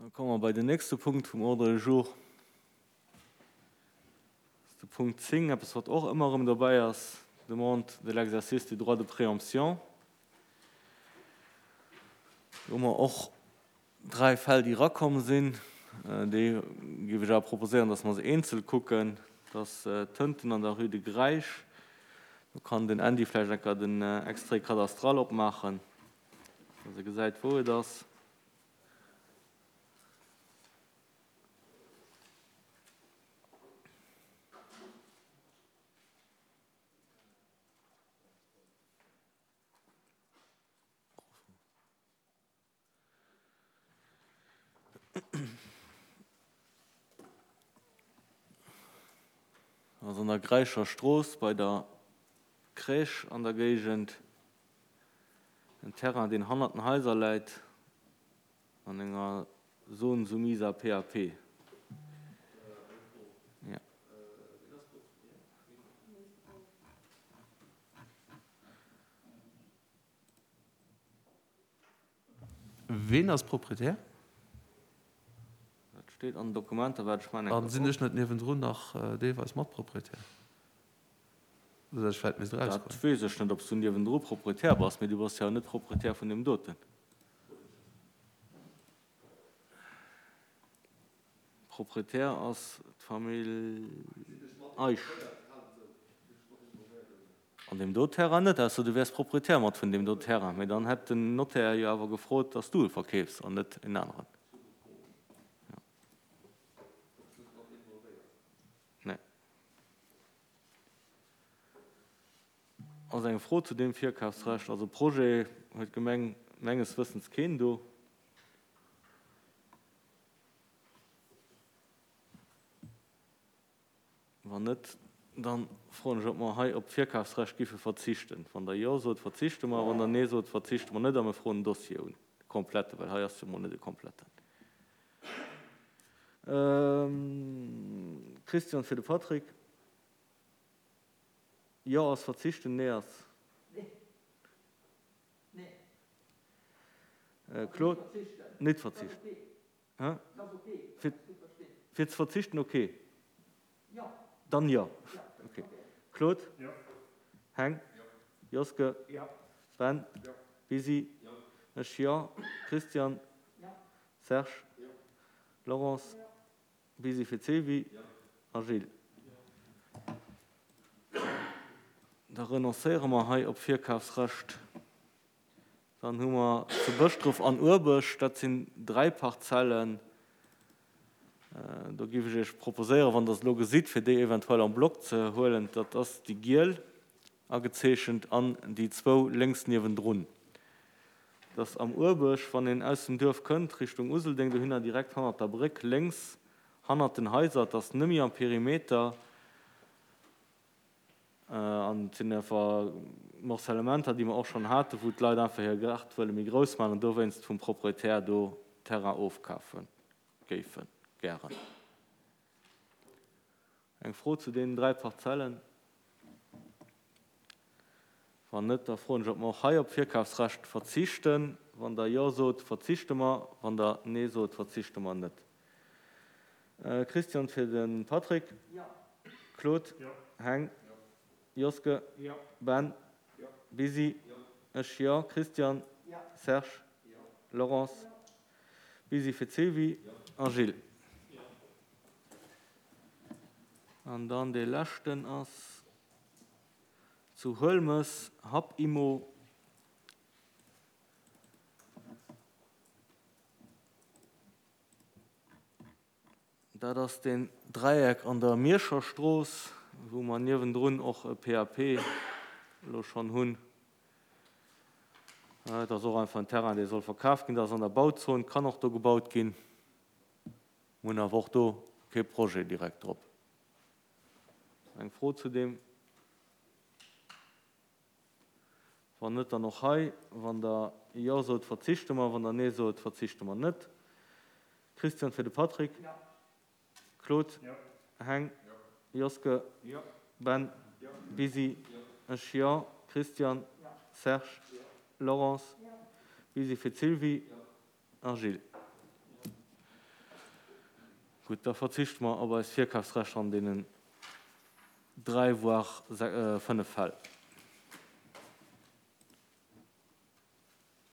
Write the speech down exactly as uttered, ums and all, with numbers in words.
Da komme mer bei den nächste Punkt vum Ordre du jour. Dat ass de Punkt zéng, eppes, wat och ëmmer erëm dobäi ass, Demande de l'exercice du droit de préemption. Do hu mer och dräi Fäll, déi erakomm sinn. Déi géif ech awer proposéieren, dass mer se eenzel kucken. Dat ass d'Tënten an der Rue de Greisch. Do kann den Andy vläicht eng Kéier den Extrait cadastral opmaachen, dass e gesäit, wou et ass. Ass an der Gräischer Strooss bei der Crèche an der Géigend. En Terrain, deen hannert den Haiser läit, an enger Zone soumise à P A P. Ja. Ween ass Proprietär? Dat steet an den Dokumenter, wat ech mengen. An sinn ech net niewendrun nach deelweis Matproprietär? Esou datt ech vläicht misst Dat erausgoen. weess ech net, ob s du niewendru Proprietär bass, mee du bass jo net Proprietär vun deem doten. Proprietär ass d'Famill Eisch. An deem do Terrain net, ausser du wäers Proprietär mat vun deem do Terrain. Mee dann hätt den Notaire jo awer gefrot, datt s du e verkeefs an net en aneren. Nee. Ass eng Fro zu deem Virkafsrecht? Also Projet huet d'Gemeng menges Wëssens keen do. Wann net, dann froen ech, ob mer hei op d'Virkafsrecht giffe verzichten. Wann Der Jo sot, verzichte mer. Wann Der Nee sot, verzichte mer net a mir froen en Dossier un, e komplette, well hei ass jo mol net e kompletten. Christian fir de Patrick. Jo ass verzichten, Nee ass. Claude? Net verzichten. Hä? Fir, fir ze verzichten, okay. Dann jo. Okay. Claude? Heng? Joske? Ben? Bisi? Ech jo. Christian? Serge? Laurence? Bisi fir d'Sylvie a Gilles. Da renoncéiere mer hei op d'Virkafsrecht. Dann hu mer zu Bëschdref an Urbech, dat sinn dräi Parzellen. Do géif ech Iech proposéieren, wann Der se elo gesitt, fir déi eventuell en bloc ze huelen. Dat ass déi giel agezeechent an déi zwou lénks niewendrun. Dat ass am Urbech, wann een aus dem Duerf kënnt, Richtung Useldeng, dohinner direkt hannert der Bréck lénks, hannert den Haiser. Et ass nëmme am Perimeter. An et sinn einfach Morcellementer, déi mer och schonn haten, wou d'Leit einfach hir Gaart wëlle méi grouss maachen an dowéinst vum Proprietär do Terrain ofkafe géife gären. Eng Fro zu deenen dräi Parzellen? Wann net, da froen ech, ob mer och hei op d'Virkafsrecht verzichten. Wann Der Jo sot, verzichte mer. Wann Der Nee sot, verzichte mer net. Christian fir de Patrick. Claude. Heng. Joske. Ben. Bisi. Ech jo. Christian. Serge. Laurence. Bisi fir d'Sylvie a Gilles. An dann dee leschten ass zu Huelmes, Hub Immo. Dat ass deen Dräieck an der Mierscher Strooss, wou mer niewendrun och e P A P elo schonn hunn. Dat ass och einfach en Terrain, dee soll verkaf ginn. Dat ass an der Bauzon, kann och do gebaut ginn. Mir hunn awer och do kee Projet direkt drop. Eng Fro zu deem? Wann net, dann och hei, wann Der Jo sot, verzichte mer, wann Der Nee sot, verzichte mer net. Christian fir de Patrick. Claude. Heng. Joske. Ben. Bisi. Ech jo. Christian. Serge. Laurence. Bisi fir d'Sylvie a Gilles. Gutt, da verzichte mer op eist Virkafsrecht an deenen dräi, voire fënnef Fäll.